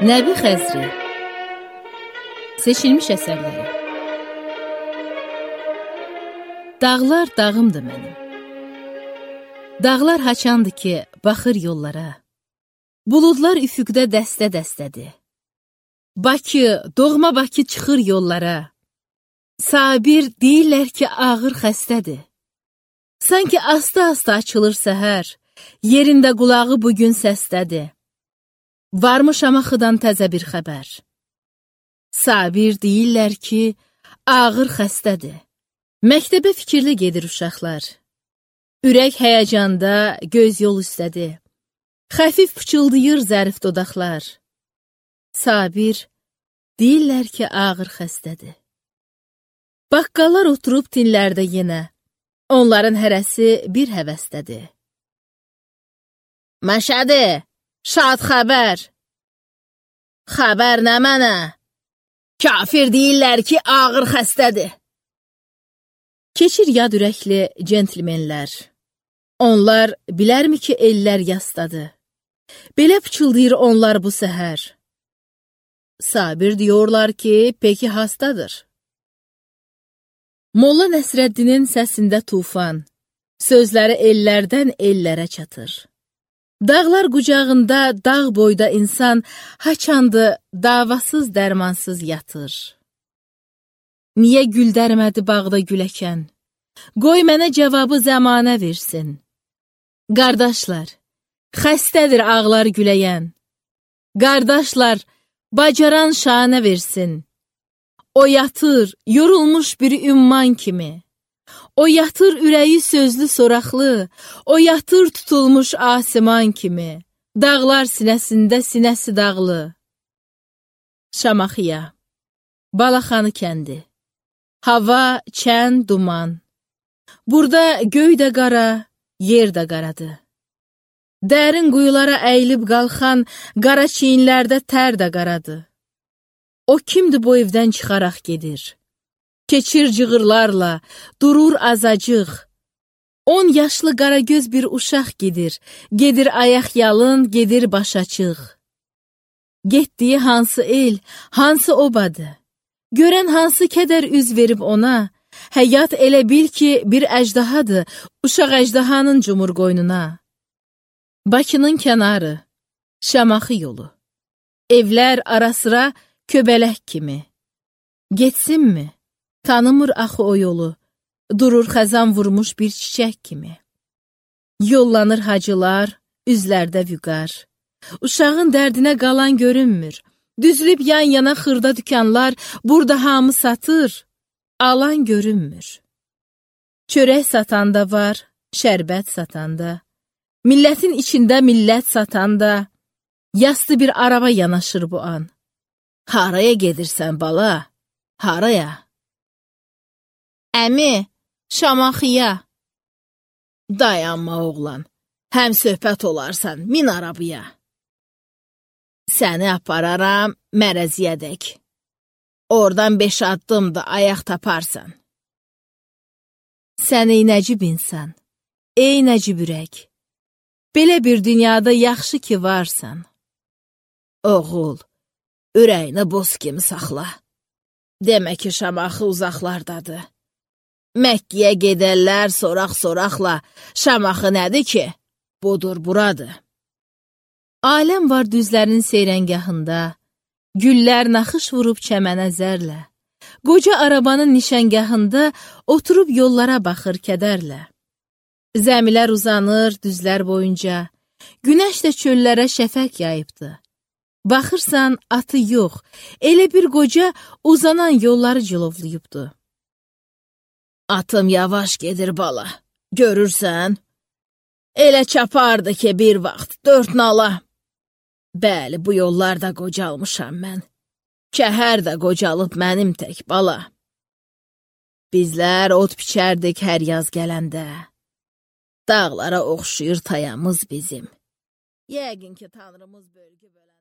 Nəbi Xəzri. Seçilmiş əsərləri. Dağlar dağımdır mənim. Dağlar haçandır ki, baxır yollara. Buludlar üfüqdə dəstə-dəstədir. Bakı, doğma Bakı çıxır yollara. Sabir deyirlər ki, ağır xəstədir. Sanki asta-asta açılır səhər, yerində qulağı bugün səsdədir. Varmış Şamaxıdan təzə bir xəbər. Sabir deyirlər ki, ağır xəstədir. Məktəbə fikirli gedir uşaqlar. Ürək həyəcanda, göz yol üstədir. Xəfif pıçıldayır zərif dodaqlar. Sabir deyirlər ki, ağır xəstədir. Baqqallar oturub tinlərdə yenə. Onların hərəsi bir həvəstədir. Məşədi, şad xəbər. Xəbər nə mənə? Kafir deyirlər ki, ağır xəstədir. Keçir yad ürəkli centlmenlər. Onlar bilərmi ki, ellər yastadır. Belə pıçıldayır onlar bu səhər. Sabir diyorlar ki, peki hastadır. Molla Nəsrəddinin səsində tufan, sözləri ellərdən ellərə çatır. Dağlar qucağında, dağ boyda insan haçandı, davasız, dərmansız yatır. Niyə gül dərmədi bağda güləkən? Qoy mənə cavabı zəmanə versin. Qardaşlar, xəstədir ağlar güləyən. Qardaşlar, bacaran şanə versin. O yatır, yorulmuş bir ümman kimi. O yatır ürəyi sözlü soraqlı, o yatır tutulmuş asiman kimi. Dağlar sinəsində sinəsi dağlı. Şamaxıya, Balaxanı kəndi. Hava, çən, duman. Burada göy də qara, yer də qaradır. Dərin quyulara əyilib qalxan, qara çiyinlərdə tər də qaradır. O kimdir bu evdən çıxaraq gedir? Keçir cığırlarla, durur azacıq. 10 yaşlı qaragöz bir uşaq gedir. Gedir ayaq yalın, gedir baş açıq. Getdiyi hansı el, hansı obadır? Görən hansı kədər üz verib ona? Həyat elə bil ki, bir əjdahadır, uşaq əjdahanın cumur qoynuna. Bakının kənarı, Şamaxı yolu. Evlər arasıra köbələk kimi. Getsinmi? Tanımır axı o yolu. Durur xəzan vurmuş bir çiçək kimi. Yollanır hacılar, üzlərdə vüqar. Uşağın dərdinə qalan görünmür. Düzülüb yan-yana xırda dükanlar, burada hamı satır, alan görünmür. Çörək satanda var, şərbət satanda. Millətin içində millət satanda. Yastı bir araba yanaşır bu an. Haraya gedirsən bala? Haraya? Əmi, Şamaxıya. Dayanma oğlan, həm söhbət olarsan, min arabaya. Səni apararam mərəziyədək. Oradan 5 addımda ayaq taparsan. Sən ey nəcib insan, ey nəcib ürək. Belə bir dünyada yaxşı ki varsan. Oğul, ürəyini boz kimi saxla. Demə ki, Şamaxı uzaqlardadır. Məkkiyə gedərlər soraq-soraqla. Şamaxı nədir ki? Budur, buradır. Aləm var düzlərin seyrəngahında. Güllər naxış vurub çəmənə zərlə. Qoca arabanın nişəngahında oturub yollara baxır kədərlə. Zəmilər uzanır düzlər boyunca. Günəş də çöllərə şəfək yayıbdı. Baxırsan, atı yox, elə bir qoca uzanan yolları cilovlayıbdı. Atım yavaş gedir bala, görürsən? Elə çapardı ki bir vaxt 4 nala. Bəli, bu yollarda qocalmışam mən. Kəhər də qocalıb mənim tək bala. Bizlər ot biçərdik hər yaz gələndə. Dağlara oxşuyur tayamız bizim. Yəqin ki, Tanrımız bölgü bölən.